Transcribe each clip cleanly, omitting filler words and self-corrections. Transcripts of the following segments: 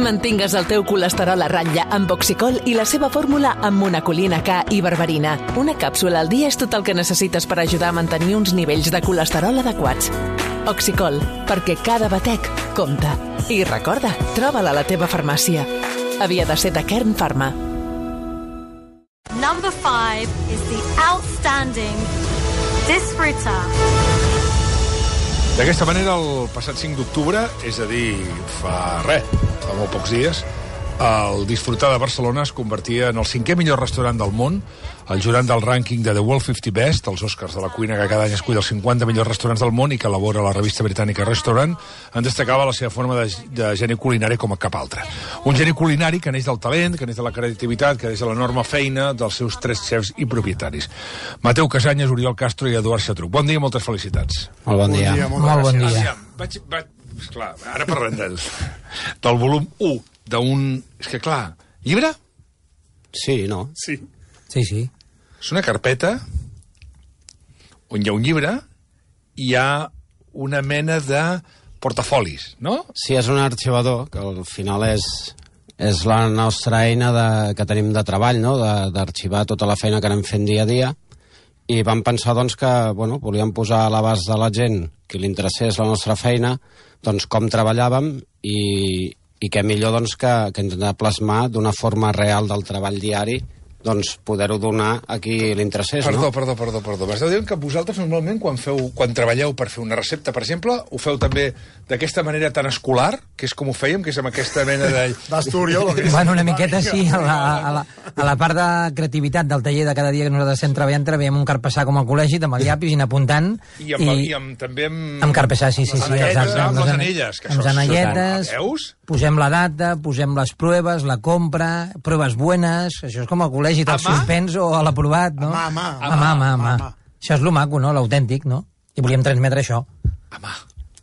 Mantingues el teu colesterol a ratlla amb Oxicol i la seva fórmula amb monacolina K i berberina. Una càpsula al dia és tot el que necessites per ajudar a mantenir uns nivells de colesterol adequats. Oxicol, perquè cada batec compta. I recorda, troba-la a la teva farmàcia. Havia de ser de Kern Pharma. Number 5 is the outstanding Disfruta. D'aquesta manera, el passat 5 d'octubre, és a dir, fa molt pocs dies, el Disfrutar de Barcelona es convertia en el 5è millor restaurant del món. El jurant del rànquing de The World 50 Best, els Oscars de la cuina que cada any escull els 50 millors restaurants del món i que elabora la revista britànica Restaurant, en destacava la seva forma de geni culinari com a cap altre. Un geni culinari que neix del talent, que neix de la creativitat, que neix de l'enorme feina dels seus 3 xefs i propietaris. Mateu Casanyes, Oriol Castro i Eduard Xatruc. Bon dia i moltes felicitats. Molt bon dia. Molt bon dia. Esclar, ara parlem del volum 1 d'un... És que, clar, llibre? Sí, no? Sí. Sí. És una carpeta on hi ha un llibre i hi ha una mena de portafolis, no? Sí, és un arxivador, que al final és la nostra eina que tenim de treball, no? D'arxivar tota la feina que anem fent dia a dia. I vam pensar, doncs, que volíem posar a l'abast de la gent que li interessés la nostra feina, doncs, com treballàvem i què millor doncs, que intentar plasmar d'una forma real del treball diari, doncs poder-ho donar a qui li interessés, Perdó. no? M'esteu dient que vosaltres normalment quan treballeu per fer una recepta, per exemple, ho feu també d'aquesta manera tan escolar, que és com ho fèiem, que és amb aquesta mena de... D'Astúries. Bueno, una miqueta sí, a la part de creativitat del taller de cada dia que nosaltres estem treballant, treballem un carpessà com a col·legi, amb el llapis i anar apuntant. També amb... Amb carpessà, sí. Amb les anelles. Amb les anelletes, posem la data, posem les proves, la compra, proves buenas, això és com a col·legi, tot suspens o a l'aprovat, no? A mà. Això és lo maco, no? L'autèntic, no? I volíem transmetre això. A mà.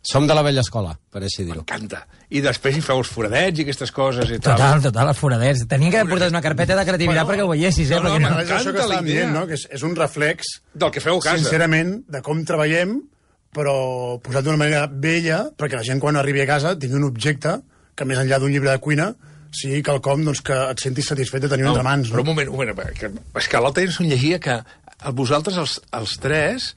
Som de la vella escola, per així dir-ho. M'encanta. I després hi feu els foradets i aquestes coses i tal. Total, els foradets. Tenia que haver portat una carpeta de creativitat perquè ho veiessis, No, és això que estàvem dient, no? Que és un reflex del que feu a casa. Sincerament, de com treballem, però posat d'una manera bella, perquè la gent quan arribi a casa tingui un objecte que més enllà d'un llibre de cuina sigui quelcom doncs, que et sentis satisfet de tenir entre mans. Però un moment, és que l'altre dia ens llegia que vosaltres, els 3,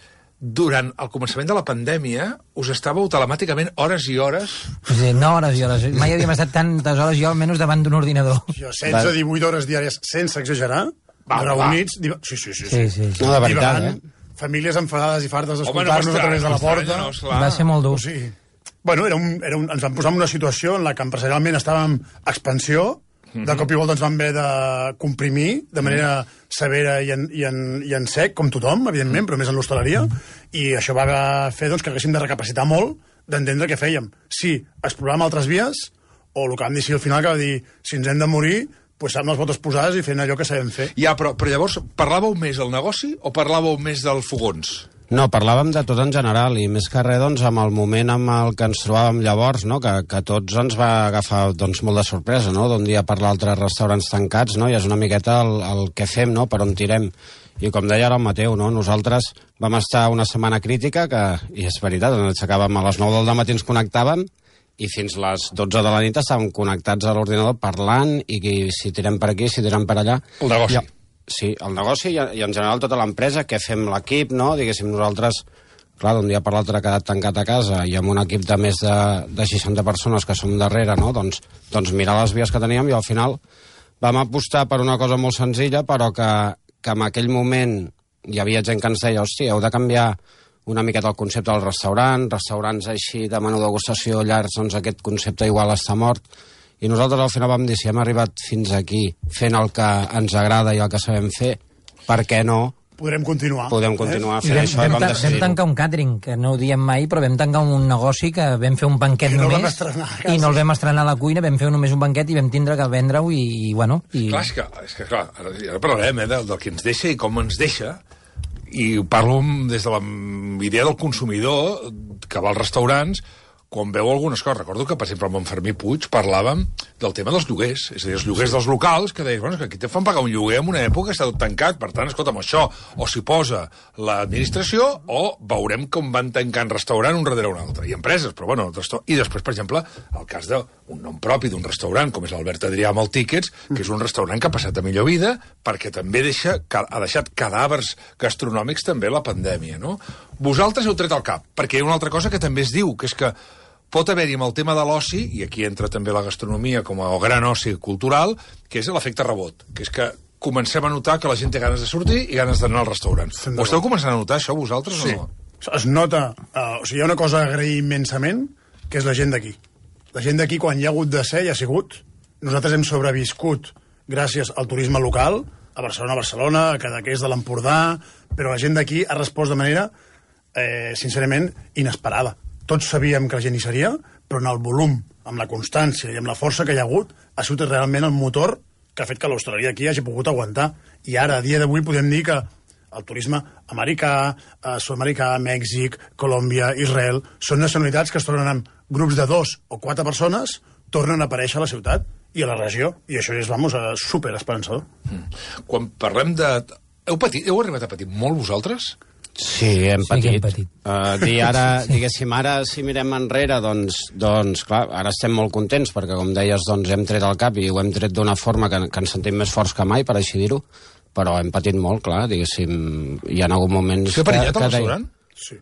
durant el començament de la pandèmia, us estàveu telemàticament hores i hores... Sí, no hores i hores. Mai havíem estat tantes hores jo almenys davant d'un ordinador. Jo 16-18 hores diàries, sense exagerar, reunits... Sí. No, de veritat, famílies enfadades i fartes d'escoltar-nos a través de la porta. Va ser molt dur. Sí. Bueno, ens vam posar en una situació en la que empresarialment estàvem a expansió, de cop i volta ens vam haver de comprimir de manera severa i en sec, com tothom, evidentment, però més en l'hostaleria, i això va fer doncs, que haguéssim de recapacitar molt d'entendre què fèiem. Si exploràvem altres vies, o el que vam dir al final, que va dir, si ens hem de morir, doncs amb les botes posades i fent allò que sabem fer. Ja, però llavors, parlàveu més del negoci o parlàveu més del fogons? No, parlàvem de tot en general i més que res doncs, amb el moment amb el que ens trobàvem llavors, no? que tots ens va agafar doncs, molt de sorpresa, no? D'un dia per l'altre restaurants tancats, no? I és una miqueta el que fem, no? Per on tirem. I com deia ara el Mateu, no? Nosaltres vam estar una setmana crítica, i és veritat, ens aixecàvem a les 9 del matí, ens connectàvem, i fins les 12 de la nit estàvem connectats a l'ordinador parlant, i si tirem per aquí, si tirem per allà... El negoci. Sí, el negoci i en general tota l'empresa, que fem l'equip, no? Diguéssim, nosaltres, clar, d'un dia per l'altre ha quedat tancat a casa i amb un equip de més de 60 persones que som darrere, no? Doncs mirar les vies que teníem i al final vam apostar per una cosa molt senzilla, però que en aquell moment hi havia gent que ens deia, hòstia, heu de canviar una miqueta el concepte del restaurants així de menú degustació llargs, doncs aquest concepte igual està mort. I nosaltres al final vam dir, si hem arribat fins aquí fent el que ens agrada i el que sabem fer, per què no? Podem continuar fent això i vam decidir-ho. Vam tancar un càtering, que no ho diem mai, però vam tancar un negoci que vam fer un banquet només i no el vam estrenar a la cuina, vam fer només un banquet i vam tindre que vendre-ho i bueno... Clar, és que clar, ara parlarem del que ens deixa i com ens deixa, i parlo des de la idea del consumidor que va als restaurants, quan veu algunes coses. Recordo que, per exemple, amb en Fermí Puig parlàvem del tema dels lloguers, és a dir, els lloguers dels locals, que deies, bueno, que aquí te fan pagar un lloguer en una època que està tot tancat, per tant, escolta'm, això o s'hi posa l'administració o veurem com van tancant restaurant un darrere un altre, i empreses, però bueno, i després, per exemple, el cas d'un nom propi d'un restaurant, com és l'Albert Adrià amb el Tickets, que és un restaurant que ha passat a millor vida, perquè també ha deixat cadàvers gastronòmics també la pandèmia, no? Vosaltres heu tret el cap, perquè hi ha una altra cosa que també es diu, que és que pot haver-hi amb el tema de l'oci, i aquí entra també la gastronomia com a gran oci cultural, que és l'efecte rebot, que és que comencem a notar que la gent té ganes de sortir i ganes d'anar al restaurant. Ho esteu començant a notar, això, vosaltres, o no? Sí, es nota. Hi ha una cosa a agrair immensament, que és la gent d'aquí. La gent d'aquí, quan hi ha hagut de ser, hi ha sigut. Nosaltres hem sobreviscut gràcies al turisme local, a Barcelona, a Cadaqués de l'Empordà, però la gent d'aquí ha respost de manera, sincerament, inesperada. Tots sabíem que la gent hi seria, però en el volum, amb la constància i amb la força que hi ha hagut, ha sigut realment el motor que ha fet que l'hostaleria aquí hagi pogut aguantar. I ara, a dia d'avui, podem dir que el turisme americà, sud-americà, Mèxic, Colòmbia, Israel, són nacionalitats que es tornen amb grups de 2 o 4 persones, tornen a aparèixer a la ciutat i a la regió, i això és, super esperançador. Quan parlem de... Heu arribat a patir molt, vosaltres? Sí, hem patit. Diguéssim, ara, si mirem enrere, doncs, clar, ara estem molt contents, perquè, com deies, doncs, hem tret el cap i ho hem tret d'una forma que ens sentim més forts que mai, per així dir-ho, però hem patit molt, clar, diguéssim, hi ha hagut moments... Què perillat al restaurant? Sí.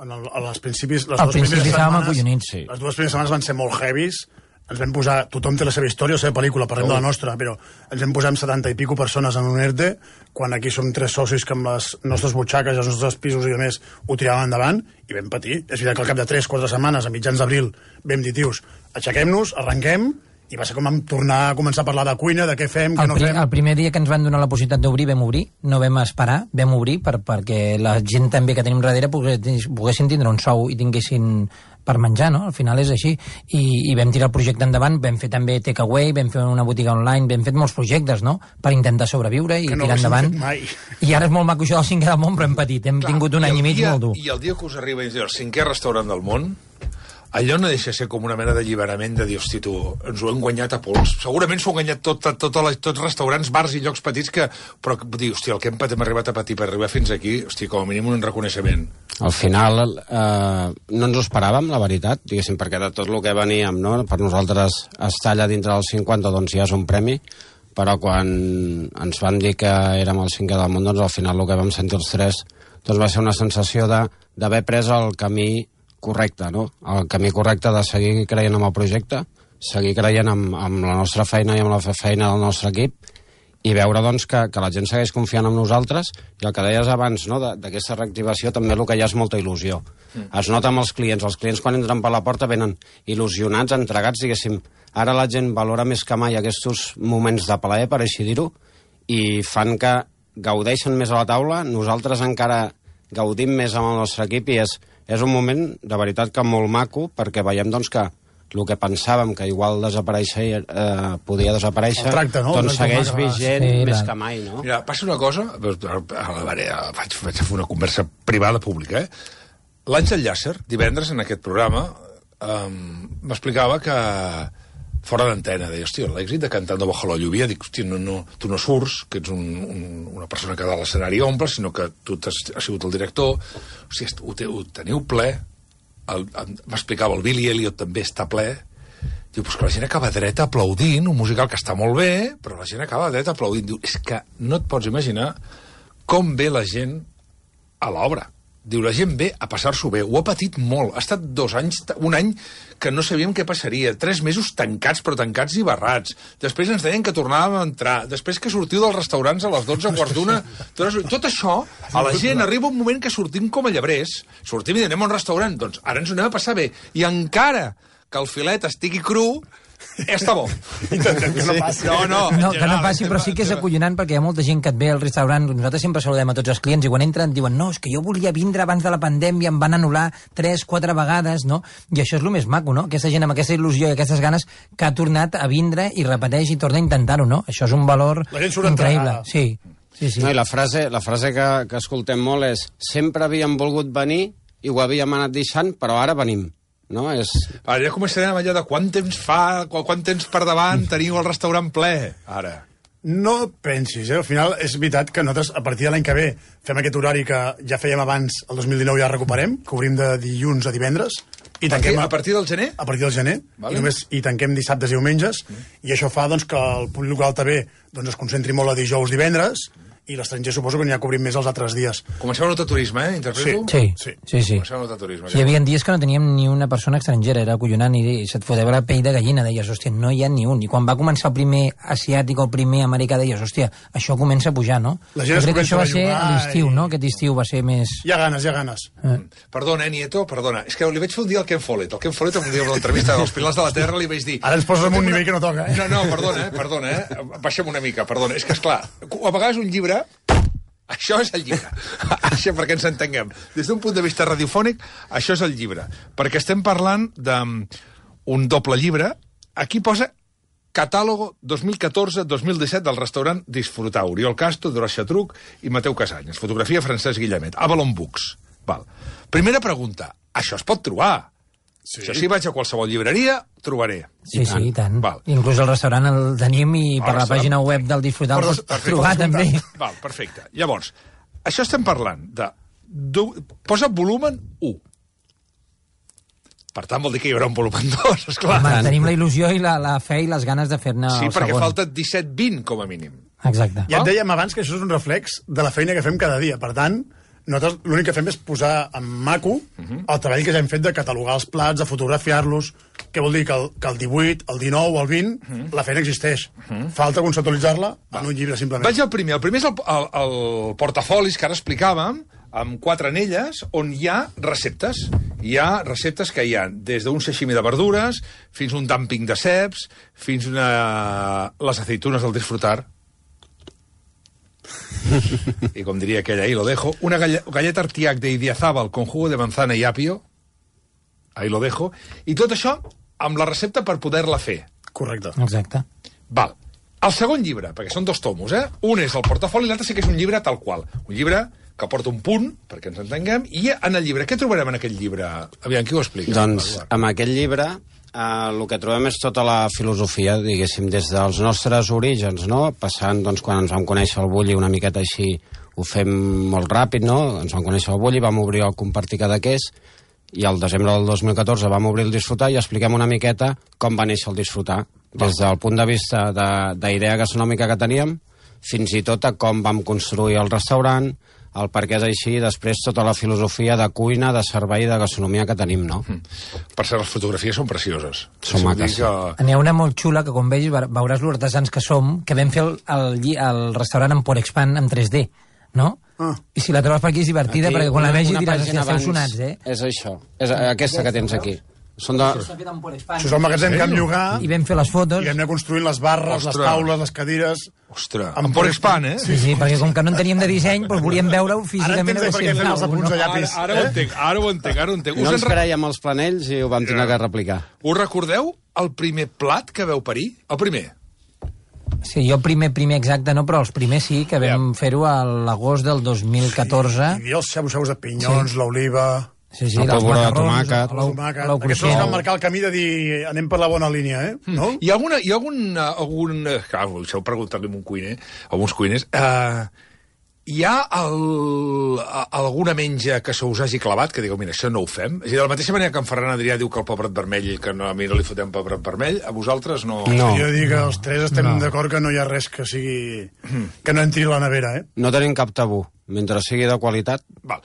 Als principis... Al principi estàvem acollonits. Sí. Les 2 primeres setmanes van ser molt heavies. Ens vam posar... Tothom té la seva història, la seva pel·lícula, parlem de la nostra, però ens vam posar amb 70 i pico persones en un ERTE, quan aquí som 3 socis que amb les nostres butxaques, els nostres pisos i a més ho tiràvem endavant, i vam patir. És veritat que al cap de 3-4 setmanes, a mitjans d'abril, vam dir, tios, aixequem-nos, arrenquem, i va ser com vam tornar a començar a parlar de cuina, de què fem, què no fem. El primer dia que ens van donar la possibilitat d'obrir, vam obrir, no vam esperar, vam obrir perquè la gent també que tenim darrere poguessin tindre un sou i tinguessin per menjar, no? Al final és així. I vam tirar el projecte endavant, vam fer també takeaway, vam fer una botiga online, vam fer molts projectes, no?, per intentar sobreviure i tirar endavant. I ara és molt maco això del 5è del món, però hem patit, hem tingut un any i mig molt dur. I el dia que us arriba i diu el 5è restaurant del món, allò no deixa de ser com una mena d'alliberament de dir, hosti, tu, ens ho hem guanyat a pols. Segurament s'ho han guanyat tots restaurants, bars i llocs petits que... Però, dir, hosti, el que hem arribat a patir per arribar fins aquí, hosti, com a mínim un reconeixement. Al final no ens ho esperàvem, la veritat, diguéssim, perquè de tot el que veníem, no? Per nosaltres estar allà dintre del 50, doncs ja és un premi, però quan ens van dir que érem el 5è del món, doncs al final el que vam sentir els 3 doncs va ser una sensació d'haver pres el camí correcte, no? El camí correcte de seguir creient en el projecte, seguir creient amb la nostra feina i amb la feina del nostre equip i veure, doncs, que la gent segueix confiant en nosaltres i el que deies abans, no?, d'aquesta reactivació també el que hi ha és molta il·lusió. Es nota amb els clients quan entren per la porta venen il·lusionats, entregats, diguéssim. Ara la gent valora més que mai aquests moments de plaer, per així dir-ho, i fan que gaudeixen més a la taula, nosaltres encara gaudim més amb el nostre equip i és un moment, de veritat, que molt maco, perquè veiem, doncs, que el que pensàvem que igual podia desaparèixer, tracte, no? Doncs segueix vigent més que mai, no? Mira, passa una cosa, vaig fer una conversa privada pública, L'Àngel Llàcer, divendres, en aquest programa, m'explicava que fora d'antena, deia, hòstia, l'èxit de Cantando bajo la lluvia, dic, hòstia, tu no surts, que ets una persona que de l'escenari omple, sinó que tu has sigut el director, hòstia, ho teniu ple, m'explicava el Billy Elliot també està ple, diu, pues que la gent acaba dreta aplaudint, un musical que està molt bé, però la gent acaba dreta aplaudint, diu, és que no et pots imaginar com ve la gent a l'obra. Diu, la gent ve a passar-s'ho bé, ho ha patit molt, ha estat 2 anys, un any que no sabíem què passaria, 3 mesos tancats, però tancats i barrats, després ens deien que tornàvem a entrar, després que sortiu dels restaurants a les 12, quart d'una, tot això, a la gent arriba un moment que sortim com a llebrers, sortim i anem a un restaurant, doncs ara ens ho anem a passar bé, i encara que el filet estigui cru, està bo. Intentem que no passi. No, que no passi, però sí que és acollonant perquè hi ha molta gent que et ve al restaurant, nosaltres sempre saludem a tots els clients i quan entren diuen, no, és que jo volia vindre abans de la pandèmia, em van anul·lar 3-4 vegades, no? I això és el més maco, no? Aquesta gent amb aquesta il·lusió i aquestes ganes que ha tornat a vindre i repeteix i torna a intentar-ho, no? Això és un valor increïble. Sí. No, i la frase que escoltem molt és sempre havíem volgut venir i ho havíem anat deixant, però ara venim. no? Ara ja començarem amb allò de quant temps per davant teniu el restaurant ple, ara. No pensis, al final és veritat que nosaltres a partir de l'any que ve fem aquest horari que ja fèiem abans, el 2019 ja recuperem, que obrim de dilluns a divendres, i tanquem a partir del gener? A partir del gener, vale. i tanquem dissabtes i diumenges, i això fa doncs, que el públic local també es concentri molt a dijous, divendres, i l'estranger suposo que n'hi ha cobrim més els altres dies. Comenceu a notar turisme, interpreto? Sí. Comenceu a notar turisme. Hi havia dies que no teníem ni una persona estrangera, era acollonant, i se't foteva la pell de gallina, deies, hòstia, no hi ha ni un. I quan va començar el primer asiàtic o el primer americà, deies, hòstia, això comença a pujar, no? La gent crec que això va ser a l'estiu, no? Aquest estiu va ser més... Hi ha ganes. Perdona, Nieto, perdona. És que li vaig fer un dia al Ken Follett. El Ken Follett, un dia amb l'entrevista dels Pilars de la Terra, li vaig dir... Ara ens poses en un nivell que no toca, eh? No, perdona. Baixem una mica, perdona. És que, esclar, a vegades un llibre... Això és el llibre, això perquè ens entenguem. Des d'un punt de vista radiofònic, això és el llibre. Perquè estem parlant d'un doble llibre. Aquí posa Catàlogo 2014-2017 del restaurant Disfrutar. Oriol Castro, Dolors Xatruc i Mateu Casanyes. Fotografia Francesc Guillemet. Avalon Books. Val. Primera pregunta. Això es pot trobar? Sí. Això si vaig a qualsevol llibreria, trobaré. Sí, i tant. Val. Inclús el restaurant el tenim i per la pàgina web del Disfrutar el pots trobar també. Val, perfecte. Llavors, això estem parlant de... Posa volumen 1. Per tant, vol dir que hi haurà un volumen 2, esclar. Home, tenim la il·lusió i la fe i les ganes de fer-ne el segon. Sí, perquè falta 17-20, com a mínim. Exacte. Ja et dèiem abans que això és un reflex de la feina que fem cada dia. Per tant, nosaltres l'únic que fem és posar en maco el treball que ja hem fet de catalogar els plats, de fotografiar-los, que vol dir que el 18, el 19 o el 20, la feina existeix. Falta conceptualitzar-la en un llibre, simplement. Vaig al primer. El primer és el portafolis que ara explicàvem, amb 4 anelles, on hi ha receptes. Hi ha receptes que hi ha des d'un sashimi de verdures, fins un dumping de ceps, fins les aceitunes del Disfrutar. Y com diria aquella, ahí lo dejo. Una galleta Artiac de Idiazábal con jugo de manzana y apio. Ahí lo dejo. I tot això amb la recepta per poder-la fer. Correcte. Exacte. Val. El segon llibre, perquè són 2 tomos, Un és el portafoli i l'altre sí que és un llibre tal qual. Un llibre que porta un punt, perquè ens entenguem, i en el llibre, què trobarem en aquest llibre? Aviam, qui ho explica? Doncs, amb aquest llibre, el que trobem és tota la filosofia, diguéssim, des dels nostres orígens, no? Passant, doncs, quan ens vam conèixer el Bulli una miqueta així, ho fem molt ràpid, no? Ens vam conèixer el Bulli, vam obrir el Compartir Cadaqués, i al desembre del 2014 vam obrir el Disfrutar i expliquem una miqueta com va néixer el Disfrutar, des del punt de vista d'idea gastronòmica que teníem, fins i tot a com vam construir el restaurant, el per què és així, i després tota la filosofia de cuina, de servei i de gastronomia que tenim, no? Per cert, les fotografies són precioses. Són maques. N'hi ha una molt xula que, quan vegis, veuràs l'artesans que som, que vam fer el restaurant en Porexpan en 3D, no? I si la trobes per aquí és divertida, aquí, perquè quan la vegis diràs que esteu sonats, És això, és aquesta que tens aquí. Això és el magatzem que vam llogar i vam fer les fotos i vam anar construint les barres, les taules, les cadires. Ostres, amb Porexpan, Sí, perquè com que no en teníem de disseny, doncs volíem veure-ho físicament. Ara entenc per què fem els apunts de llapis. Ara ho entenc. No ens creiem els planells i ho vam tenir que replicar. Us recordeu el primer plat que veu parir? El primer? Sí, jo primer exacte no, però els primers sí, que vam fer-ho a l'agost del 2014. Hi havia els xabu-xabus de pinyons, l'oliva... Sí, el polvoró de tomàquet. Aquests ens van marcar el camí de dir anem per la bona línia, no? Hi ha algun... Clar, deixeu preguntar-li a un cuiner, a uns cuiners. Hi ha alguna menja que se us hagi clavat, que digueu, mira, això no ho fem? És a dir, de la mateixa manera que en Ferran Adrià diu que el pebret vermell, que a mi no li fotem pebret vermell, a vosaltres no... Jo dic que els tres estem d'acord que no hi ha res que sigui... que no entri a la nevera, No tenim cap tabú, mentre sigui de qualitat. Val.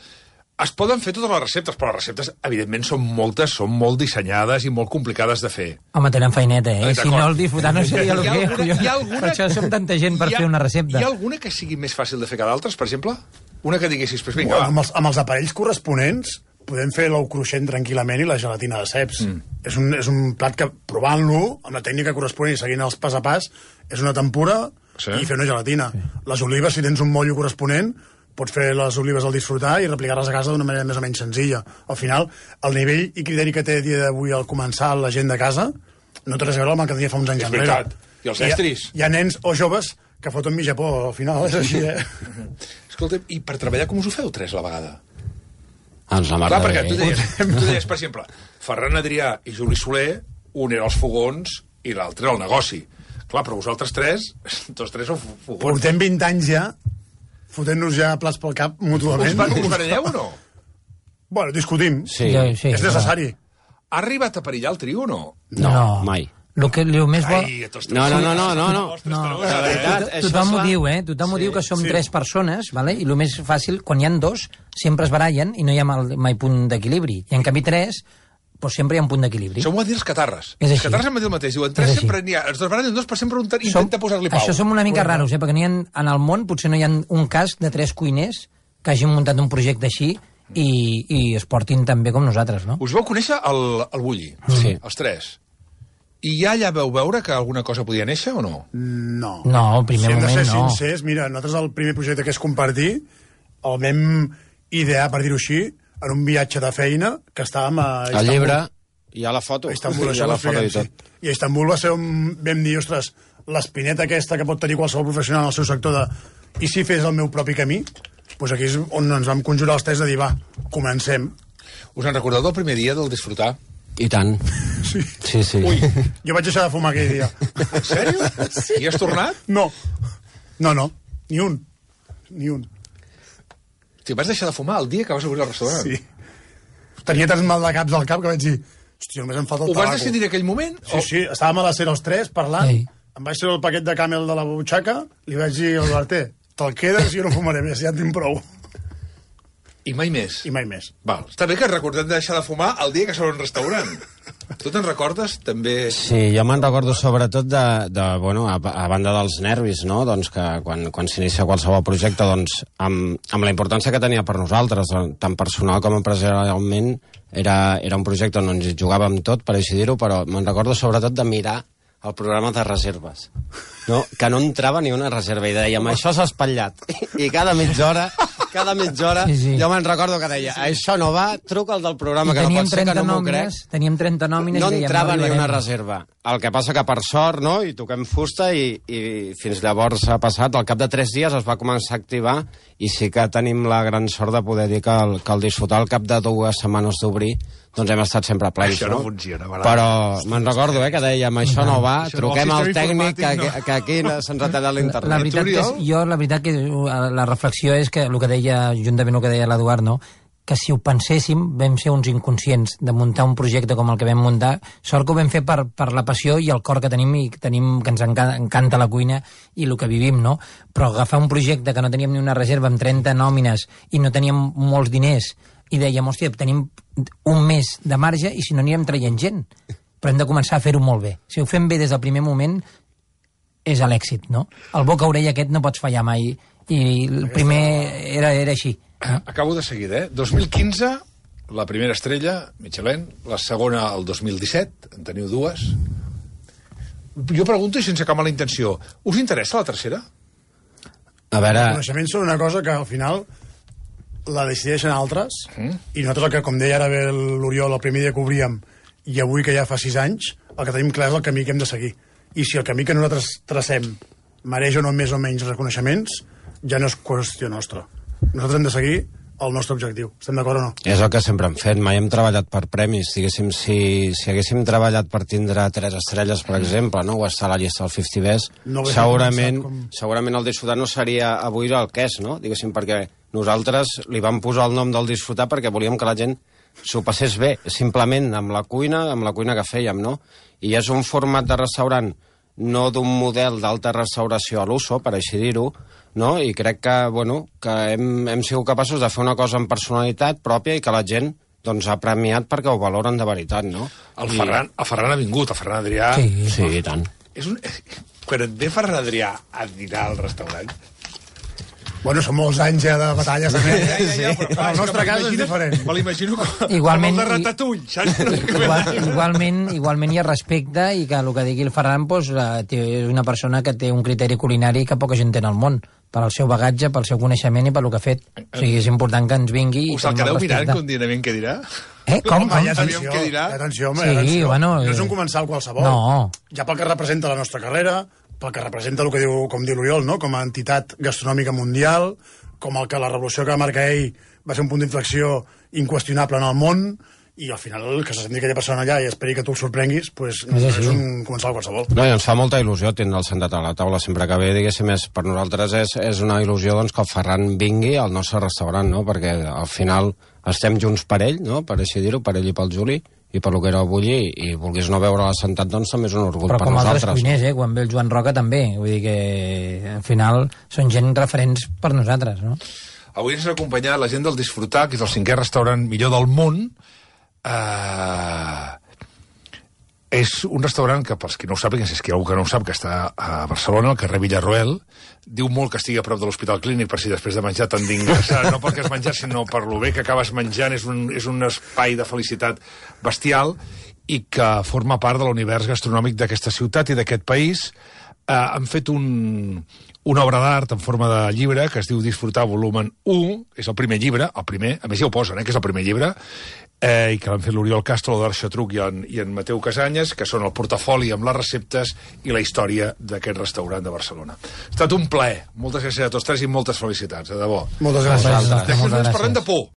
Es poden fer totes les receptes, però les receptes, evidentment, són moltes, són molt dissenyades i molt complicades de fer. Home, tenen feineta, Si no, el Disfrutar no seria el que... Per això som tanta gent per fer una recepta. Hi ha alguna que sigui més fàcil de fer que d'altres, per exemple? Una que diguessis, pues vinga, amb els aparells corresponents podem fer l'ou cruixent tranquil·lament i la gelatina de ceps. És un plat que, provant-lo, amb la tècnica corresponent i seguint els pas a pas, és una tempura i fer una gelatina. Les olives, si tens un mollo corresponent, pots fer les olives al Disfrutar i replicar-les a casa d'una manera més o menys senzilla. Al final, el nivell i criteri que té a dia d'avui al començar la gent de casa no té res a veure amb el que tenia fa uns anys enrere. És veritat. I els estris. Hi ha nens o joves que foten mi Japó, al final, és així, Escolta, i per treballar com us ho feu 3 a la vegada? Ens la Clar, perquè tu deies, per exemple, Ferran Adrià i Juli Soler, un era els fogons i l'altre era el negoci. Clar, però vosaltres tots tres sou fogons. Portem 20 anys ja, fotent-nos ja plats pel cap mútuament. Us baralleu o no? Bueno, discutim. Sí. És necessari. Ha arribat a perillar el trio o no? No, mai. El més bo... No. La veritat, tothom ho diu, Tothom ho diu que som 3 persones, vale? I el més fàcil, quan hi ha 2, sempre es barallen i no hi ha mai punt d'equilibri. I en canvi 3, doncs sempre hi ha un punt d'equilibri. Això m'ho va dir els catarres. Els catarres em va dir el mateix. Diuen, 3 sempre n'hi ha. Els barallen 2, però sempre un intenta posar-li pau. Això som una mica raros, perquè en el món potser no hi ha un cas de 3 cuiners que hagin muntat un projecte així i es portin tan bé com nosaltres, no? Us vau conèixer el Bulli? Sí. Els 3. I ja veu veure que alguna cosa podia néixer o no? No. No, al primer moment no. Si hem de ser sincers, mira, nosaltres el primer projecte que és compartir el vam idear, per dir-ho així, en un viatge de feina que estàvem a Istanbul. El llibre, hi ha la foto. A Istanbul, hi ha la foto i tot. Sí. I a Istanbul va ser on vam dir, ostres, l'espineta aquesta que pot tenir qualsevol professional en el seu sector de i si fes el meu propi camí, doncs aquí és on ens vam conjurar els 3 de dir, va, comencem. Us en recordeu del primer dia del disfrutar? I tant. Sí. Ui. Jo vaig deixar de fumar aquell dia. En sèrio? Sí. I has tornat? No. Ni un. Hosti, vas deixar de fumar el dia que vas obrir el restaurant? Sí. Tenia tants mal de caps al cap que vaig dir, hòstia, només em falta el tabaco. Ho vas decidir en aquell moment? Sí, estàvem a la cera els 3 parlant, Ei. em vaig treure el paquet de Camel de la butxaca, li vaig dir al Barté, te'l quedes i jo no fumaré més, ja en tinc prou. I mai més? I mai més. Val. Està bé que recordem de deixar de fumar el dia que s'obre un restaurant. Tu te'n recordes, també? Sí, jo me'n recordo sobretot bueno, a banda dels nervis, no? Doncs que quan s'inicia qualsevol projecte, doncs, amb la importància que tenia per nosaltres, tant personal com empresarialment, era un projecte on ens jugàvem tot, per així dir-ho, però me'n recordo sobretot de mirar el programa de reserves, no? Que no entrava ni una reserva i dèiem, això s'ha espatllat. I cada mitja hora sí. Jo me'n recordo que deia, això no va, truca al del programa, que no pot ser, que no m'ho crec. Teníem 30 nòmines. No entrava ni una reserva. El que passa que per sort, no?, i toquem fusta i fins llavors ha passat, al cap de 3 dies es va començar a activar i sí que tenim la gran sort de poder dir que el disfrutar al cap de 2 setmanes d'obrir, doncs hem estat sempre plens, això no funciona, però me'n recordo, que dèiem, això no va, truquem al tècnic, que aquí se'ns ha tallat l'internet. La veritat que la reflexió és que el que deia, juntament el que deia l'Eduard, no?, que si ho penséssim, vam ser uns inconscients de muntar un projecte com el que vam muntar. Sort que ho vam fer per la passió i el cor que tenim, que ens encanta la cuina i el que vivim, no? Però agafar un projecte que no teníem ni una reserva amb 30 nòmines i no teníem molts diners i dèiem, hòstia, tenim un mes de marge i si no anirem traient gent. Però hem de començar a fer-ho molt bé. Si ho fem bé des del primer moment, és l'èxit, no? El boca-orella aquest no pots fallar mai. I el primer era així. Acabo de seguida, 2015, la primera estrella, Michelin, la segona el 2017, en teniu 2. Jo pregunto, i sense cap mala intenció, us interessa la tercera? A veure... Els coneixements són una cosa que al final la decideixen altres, i nosaltres, el que, com deia ara bé l'Oriol, el primer dia que obríem, i avui que ja fa 6 anys, el que tenim clar és el camí que hem de seguir. I si el camí que nosaltres tracem mereix o no més o menys reconeixements, ja no és qüestió nostra. Nosaltres hem de seguir el nostre objectiu. Estem d'acord o no? És el que sempre hem fet. Mai hem treballat per premis. Diguéssim, si haguéssim treballat per tindre 3 estrelles, per exemple, no? O estar a la llista del 50 Best, no segurament el disfrutar no seria avui el que és, no? Diguéssim, perquè nosaltres li vam posar el nom del disfrutar perquè volíem que la gent s'ho passés bé, simplement amb la cuina que fèiem, no? I és un format de restaurant no d'un model d'alta restauració a l'uso, per així dir-ho, no? I crec que, bueno, que hem sigut capaços de fer una cosa amb personalitat pròpia i que la gent doncs, ha premiat perquè ho valoren de veritat, no? El Ferran ha vingut, el Ferran Adrià... Sí, i tant. Quan et ve Ferran Adrià a dinar al restaurant... Bueno, són molts anys ja de batalles també. Ja, però el nostre cas és diferent. Me l'imagino com igualment, el de Ratatouille, saps? Igualment hi ha respecte i que el que digui el Ferran doncs, és una persona que té un criteri culinari que poca gent té en el món, per al seu bagatge, pel seu coneixement i per lo que ha fet. O sigui, és important que ens vingui... Us el quedeu mirant contínuament què dirà? Com? Atenció, home, sí, bueno... No és un comensal qualsevol. No. Ja pel que representa la nostra carrera, pel que representa el que diu, com diu l'Oriol, no? Com a entitat gastronòmica mundial, com el que la revolució que va marcar ell va ser un punt d'inflexió inqüestionable en el món, i al final que se senti aquella persona allà i esperi que tu el sorprenguis, doncs és un comensal qualsevol. No, i ens fa molta il·lusió tindre'l sentat a la taula sempre que ve, diguéssim, per nosaltres és una il·lusió doncs, que el Ferran vingui al nostre restaurant, no? Perquè al final estem junts per ell, no? Per així dir-ho, per ell i pel Juli, i per lo que era avui, i vulguis no veure-la sentat, doncs també és un orgull per nosaltres. Però com altres cuiners, quan ve el Joan Roca també, vull dir que al final són gent referents per nosaltres, no? Avui ens ha acompanyat la gent del Disfrutar, que és el 5è restaurant millor del món. És un restaurant que, pels qui no ho sàpiguen, si és que hi ha algú que no ho sap, que està a Barcelona, al carrer Villarroel, diu molt que estigui a prop de l'Hospital Clínic per si després de menjar t'han d'ingressar, no perquè has menjat, sinó per lo bé que acabes menjant. És un espai de felicitat bestial i que forma part de l'univers gastronòmic d'aquesta ciutat i d'aquest país. Han fet una obra d'art en forma de llibre que es diu Disfrutar volumen 1, és el primer llibre, el primer, a més ja ho posen, que és el primer llibre, i que l'han fet l'Oriol Castro, l'Eduard Xatruc i en Mateu Casanyes, que són el portafoli amb les receptes i la història d'aquest restaurant de Barcelona. Ha estat un plaer. Moltes gràcies a tots tres i moltes felicitats, de debò. Moltes gràcies. Després ens parlem de por.